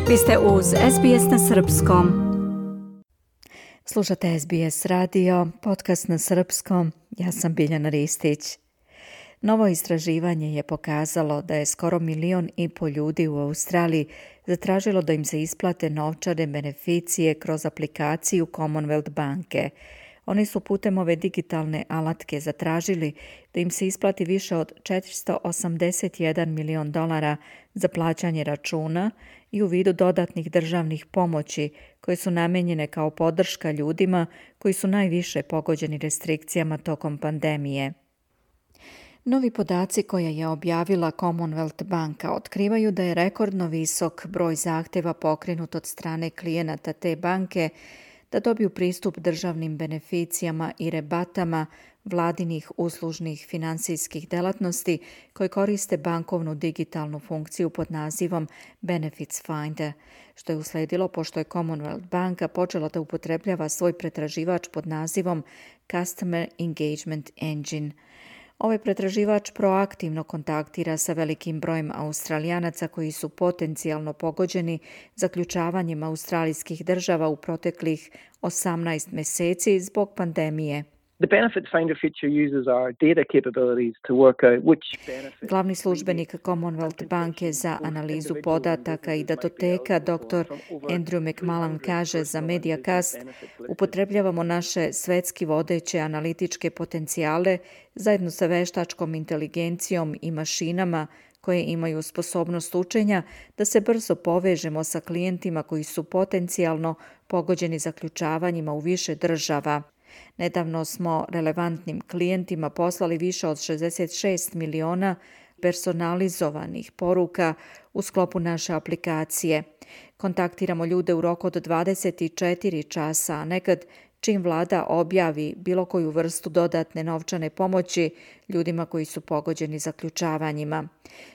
Vi ste uz SBS na srpskom. Slušate SBS radio, podcast na srpskom. Ja sam Biljana Ristić. Novo istraživanje je pokazalo da je skoro 1,5 miliona ljudi u Australiji zatražilo da im se isplate novčane beneficije kroz aplikaciju Commonwealth banke. Oni su putem ove digitalne alatke zatražili da im se isplati više od $481 milion za plaćanje računa i u vidu dodatnih državnih pomoći koje su namijenjene kao podrška ljudima koji su najviše pogođeni restrikcijama tokom pandemije. Novi podaci koje je objavila Commonwealth banka otkrivaju da je rekordno visok broj zahtjeva pokrenut od strane klijenata te banke da dobiju pristup državnim beneficijama i rebatama vladinih uslužnih financijskih delatnosti koje koriste bankovnu digitalnu funkciju pod nazivom Benefits Finder, što je usledilo pošto je Commonwealth banka počela da upotrebljava svoj pretraživač pod nazivom Customer Engagement Engine. Ovaj pretraživač proaktivno kontaktira sa velikim brojem Australijanaca koji su potencijalno pogođeni zaključavanjem australijskih država u proteklih 18 mjeseci zbog pandemije. The Benefits Finder feature uses our data capabilities to work out which benefits. Glavni službenik Commonwealth banke za analizu podataka i datoteka dr. Andrew McMullan kaže za Mediacast: upotrebljavamo naše svetski vodeće analitičke potencijale zajedno sa veštačkom inteligencijom i mašinama koje imaju sposobnost učenja da se brzo povežemo sa klijentima koji su potencijalno pogođeni zaključavanjima u više država. Nedavno smo relevantnim klijentima poslali više od 66 miliona personalizovanih poruka u sklopu naše aplikacije. Kontaktiramo ljude u roku od 24 časa, a nekad čim vlada objavi bilo koju vrstu dodatne novčane pomoći ljudima koji su pogođeni zaključavanjima.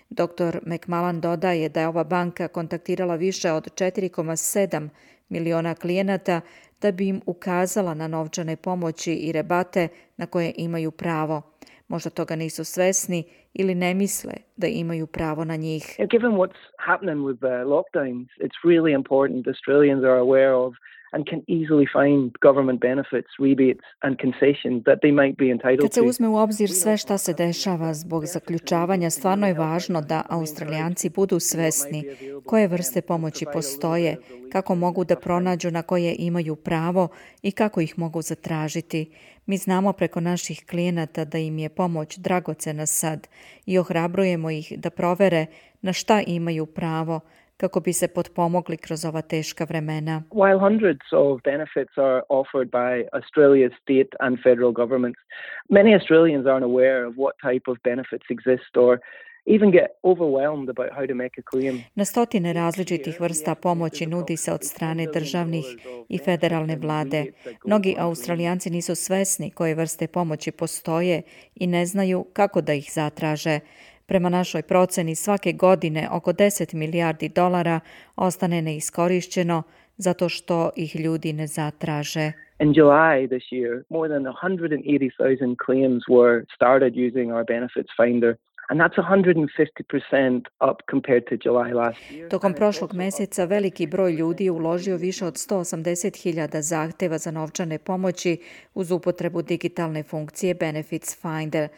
Dr. McMullan dodaje da je ova banka kontaktirala više od 4,7 miliona klijenata da bi im ukazala na novčane pomoći i rebate na koje imaju pravo. Možda toga nisu svesni ili ne misle da imaju pravo na njih. Given what's happening with the lockdowns, it's really important Australians are aware of and can easily find government benefits, rebates and concessions that they might be entitled to. Kad se uzme u obzir sve šta se dešava zbog zaključavanja, stvarno je važno da Australijanci budu svesni koje vrste pomoći postoje, kako mogu da pronađu na koje imaju pravo i kako ih mogu zatražiti. Mi znamo preko naših klijenata da im je pomoć dragocena sad i ohrabrujemo ih da provere na šta imaju pravo kako bi se potpomogli kroz ova teška vremena. While hundreds of benefits are offered by Australia's state and federal governments, many Australians aren't aware of what type of benefits exist or even get overwhelmed about how to make a claim. Na stotine različitih vrsta pomoći nudi se od strane državnih i federalne vlade. Mnogi Australijanci nisu svesni koje vrste pomoći postoje i ne znaju kako da ih zatraže. Prema našoj proceni svake godine oko $10 milijardi ostane neiskorišćeno zato što ih ljudi ne zatraže. In July this year, more than 180,000 claims were started using our Benefits Finder. And that's 150% up compared to July last year. Tokom prošlog mjeseca veliki broj ljudi je uložio više od 180,000 zahtjeva za novčane pomoći uz upotrebu digitalne funkcije Benefits Finder.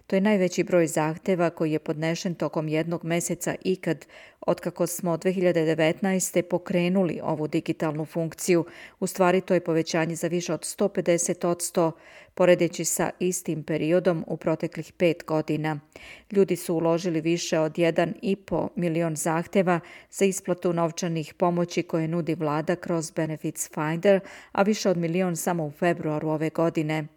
To je najveći broj zahtjeva koji je podnešen tokom jednog mjeseca ikad otkako smo 2019. pokrenuli ovu digitalnu funkciju. U stvari to je povećanje za više od 150% poredeći sa istim periodom u proteklih 5 godina. Ljudi su uložili više od 1,5 milion zahtjeva za isplatu novčanih pomoći koje nudi vlada kroz Benefits Finder, a više od 1 milion samo u februaru ove godine.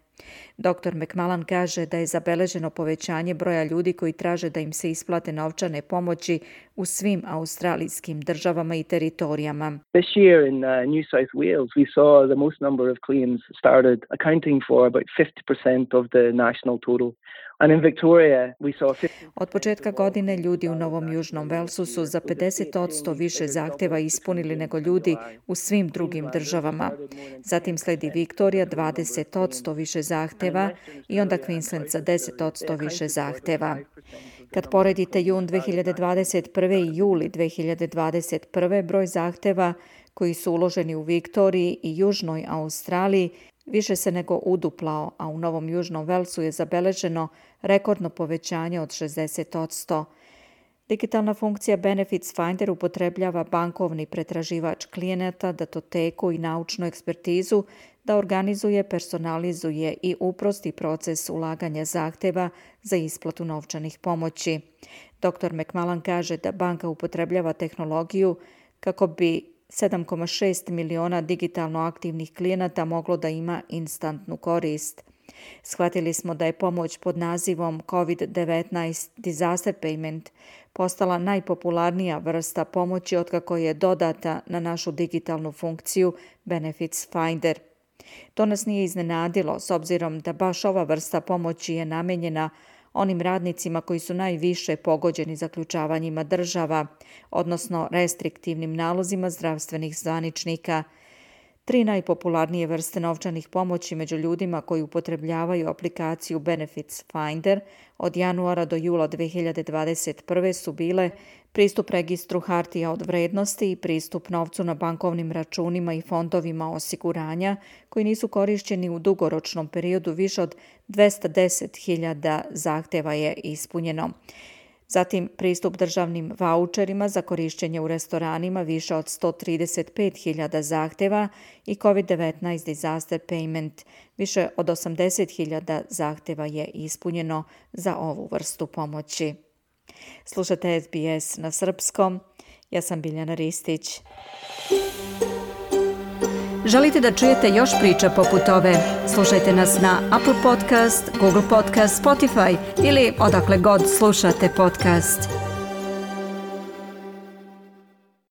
Dr. McMullan kaže da je zabeleženo povećanje broja ljudi koji traže da im se isplate novčane pomoći u svim australijskim državama i teritorijama. This year in New South Wales we saw the most number of claims started, accounting for about 50% of the national total. And in Victoria we saw Od početka godine ljudi u Novom Južnom Velsu su za 50% više zahtjeva ispunili nego ljudi u svim drugim državama. Zatim sledi Viktorija 20% više zahtjeva i onda Queensland za 10% više zahtjeva. Kad poredite jun 2021. i juli 2021. broj zahteva koji su uloženi u Viktoriji i Južnoj Australiji više se nego uduplao, a u Novom Južnom Velsu je zabeleženo rekordno povećanje od 60%. Digitalna funkcija Benefits Finder upotrebljava bankovni pretraživač klijenata, datoteku i naučnu ekspertizu da organizuje, personalizuje i uprosti proces ulaganja zahteva za isplatu novčanih pomoći. Dr. McMullen kaže da banka upotrebljava tehnologiju kako bi 7,6 miliona digitalno aktivnih klijenata moglo da ima instantnu korist. Shvatili smo da je pomoć pod nazivom COVID-19 Disaster Payment postala najpopularnija vrsta pomoći otkako je dodata na našu digitalnu funkciju Benefits Finder. To nas nije iznenadilo, s obzirom da baš ova vrsta pomoći je namenjena onim radnicima koji su najviše pogođeni zaključavanjima država, odnosno restriktivnim nalozima zdravstvenih zvaničnika. 3 najpopularnije vrste novčanih pomoći među ljudima koji upotrebljavaju aplikaciju Benefits Finder od januara do jula 2021. su bile pristup registru hartija od vrednosti i pristup novcu na bankovnim računima i fondovima osiguranja koji nisu korišćeni u dugoročnom periodu. Više od 210.000 zahteva je ispunjeno. Zatim pristup državnim vaučerima za korišćenje u restoranima, više od 135.000 zahteva, i COVID-19 Disaster Payment, više od 80.000 zahteva je ispunjeno za ovu vrstu pomoći. Slušate SBS na srpskom. Ja sam Biljana Ristić. Želite da čujete još priča poput ove? Slušajte nas na Apple Podcast, Google Podcast, Spotify ili odakle god slušate podcast.